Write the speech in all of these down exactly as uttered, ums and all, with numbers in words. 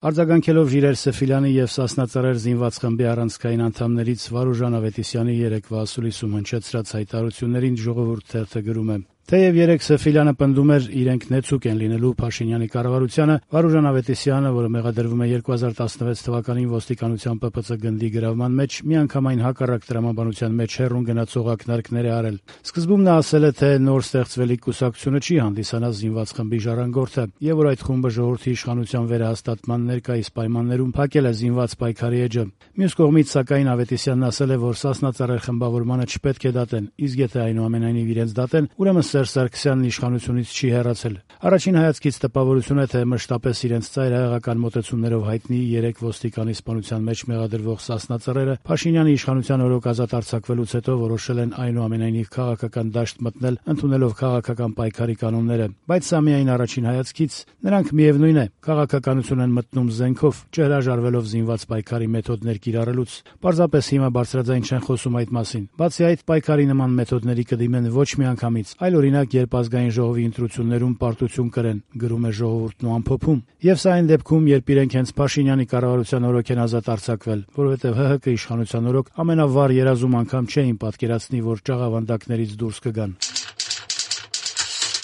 Արձագանքելով Ժիրայր Սեֆիլյանի եւ Սասնա Ծռեր զինված խմբի առանցքային անդամներից Վարուժան Ավետիսյանի երեկվա ասուլիսում հնչեցրած հայտարարություններին Ժողովուրդ թերթը գրում է. Թեև երեկ Սեֆիլյանը պնդում էր իրենք նեցուկ են լինելու Փաշինյանի կառավարությանը, Վարուժան Ավետիսյանը, որը մեղադրվում է երկու հազար տասնվեց թվականին ոստիկանության Պ Պ Ց գնդի գրավման մեջ, միանգամայն հակառակ տրամաբանության մեջ հեռուն գնացող ակնարկներ է արել։ Սկզբում նա ասել է, թե նոր ստեղծվելիք կուսակցությունը չի հանդիսանա զինված խմբի ժառանգորդը, եւ որ այդ խումբը ժողովրդի իշխանության վերահաստատման ներկայիս պայմաններում փակել է զինված պայքարի էջը։ Մյուս կողմից, սակայն, Ավետիսյանն ասել է, որ Սասնա Ծռեր խմբավորմանը չպետք է դատեն, իսկ եթե այնուամենայնիվ իրենց դատեն, ուրեմն Սերժ Սարգսյանն իշխանությունից չի հեռացել։ Առաջին հայացքից տպավորություն է, թե մշտապես իրենց ծայրահեղական մոտեցումներով հայտնի երեք ոստիկանի սպանության մեջ մեղադրվող Սասնա Ծռերը Փաշինյանի իշխանության օրոք ազատ արձակվելուց հետո որոշել են այնուամենայնիվ քաղաքական դաշտ մտնել, ընդունելով քաղաքական պայքարի կանոնները։ Բայց սա միայն առաջին հայացքից, նրանք միևնույն է, քաղաքականություն են մտնում զենքով, չհրաժարվելով զինված պայքարի մեթոդներ կիրառելուց։ Պարզապես հիմա բարձրաձայն չեն խոսում այդ մասին։ Բացի այդ, պայքարի նման մեթոդների կդիմեն ոչ միանգամից, այլ օրինակ երբ ազգային ժողովի ընտրություններում պարտություն կրեն, գրում է Ժողովուրդն ու ամփոփում։ Եվ սա այն դեպքում, երբ իրենք հենց Փաշինյանի կառավարության օրոք են ազատ արձակվել, որովհետև Հ Հ Կ իշխանության օրոք ամենավառ երազում անգամ չէին պատկերացնի, որ ճաղավանդակներից դուրս կգան։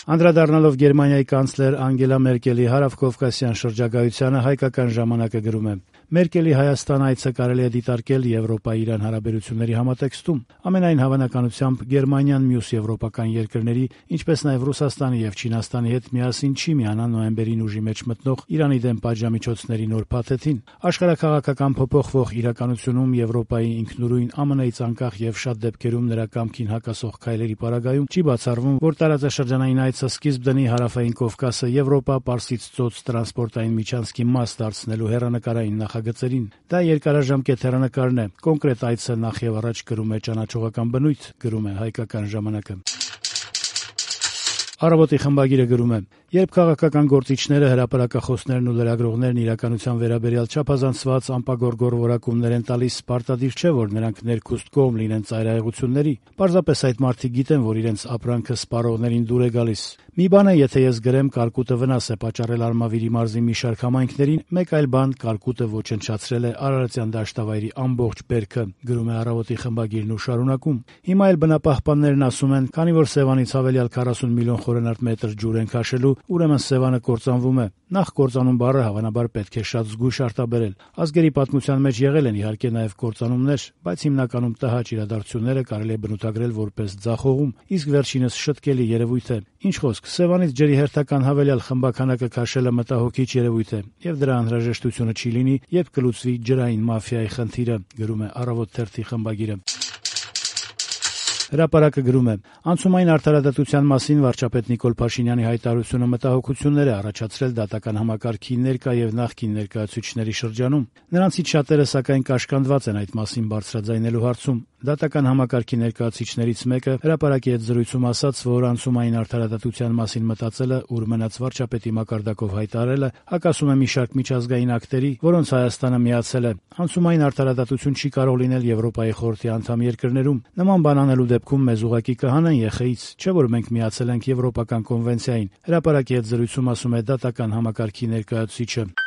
Անդրադառնալով Գերմանիայի կանցլեր Անգելա Մերկելի հարավկովկասյան շրջագայությանը, Հայկական ժամանակը գրում է. Մերկելի Հայաստան այցը կարելի է դիտարկել Եվրոպա-Իրան հարաբերությունների համատեքստում։ Ամենայն հավանականությամբ Գերմանիան մյուս եվրոպական երկրների, ինչպես նաև Ռուսաստանի եւ Չինաստանի հետ միասին չի միանա նոյեմբերին ուժի մեջ մտնող Իրանի դեմ պատժամիջոցների նոր փաթեթին։ Աշխարհաքաղաքական փոփոխվող իրականությունում Եվրոպայի ինքնուրույն Ամն Ից անկախ եւ շատ դեպքերում նրա կամքին հակասող քայլերի պարագայում չի բացառվում, որ տարածաշրջանային այցը սկիզբ դնի Հարավային Կովկասը Եվրոպա-Պարսից ծոց տրանսպորտային միջանցքի մաս դարձնելու հեռանկարային նախագծերին։ Դա երկարաժամկետ հեռանկարն է, կոնկրետ այցը նախ եւ առաջ կրում է ճանաչողական բնույթ, գրում է Հայկական ժամանակը։ Առավոտի խմբագիրը գրում է. Երբ քաղաքական գործիչները, հրապարակախոսներն ու լրագրողներն իրականության վերաբերյալ չափազանցված անպագորգոր որակումներ են տալիս, պարտադիր չէ, որ նրանք ներքուստ կողմ լինեն ծայրահեղությունների։ Պարզապես այդ մարդիկ գիտեն, որ իրենց ապրանքը սպառողներին դուր է գալիս։ Մի բան է, եթե ես գրեմ կարկուտը վնաս է պատճառել Արմավիրի մարզի մի շարք համայնքներին, մեկ այլ բան կարկուտը ոչնչացրել է Արարատյան դաշտավայրի ամբողջ բերքը, գրում է Առավոտի խմբագիրն ու շարունակում։ Հիմա էլ բնապահպաններն ասում են, քանի որ Սևանից հավելյալ քառասուն միլիոն խորանարդ մետր ջուր են քաշելու, ուրեմն Սևանը կործանվում է։ Նախ կործանում բառը հավանաբար պետք է շատ զգույշ արտաբերել։ Ազգերի պատմության մեջ եղել են իհարկե նաև կործանումներ, բայց հիմնականում տհաճ իրադարձությունները կարելի է բնութագրել որպես ձախողում, իսկ վերջինս շտկելի երևույթ է։ Ինչ խոսք, Սևանից ջրի հերթական հավելյալ խմբականակը քաշելը մտահոգիչ երևույթ է, եւ դրա անհրաժեշտությունը չի լինի, երբ կլուծվի ջրային մաֆիայի խնդիրը, գրում է Առավոտ թերթի խմբագիրը։ Հրապարակը գրում է. Անցումային արդարադատության մասին վարչապետ Նիկոլ Փաշինյանի հայտարարությունը մտահոգություններ է առաջացրել դատական համակարգի ներկա եւ նախկին ներկայացուցիչների շրջանում։ Նրանցից շատերը սակայն կաշկանդված են այդ մասին բարձրաձայնելու հարցում։ Դատական համակարգի ներկայացուցիչներից մեկը հրապարակի հետ զրույցում ասաց, որ անցումային արդարադատության մասին մտածելը, ուր մնաց վարչապետի մակարդակով հայտարարելը, հակասում է մի շարք միջազգային ակտերի, որոնց Հայաստանը միացել է։ Անցումային արդարադատություն չի կարող լինել Եվրոպայի խորհրդի անդամ երկրներում։ Նման բան անելու դեպքում մեզ ուղղակի կհանեն ԵԽ-ից, չէ՞ որ մենք միացել ենք Եվրոպական կոնվենցիային։ Հրապարակի հետ զրույցում ասում է դատական համակարգի ներկայացուցիչը։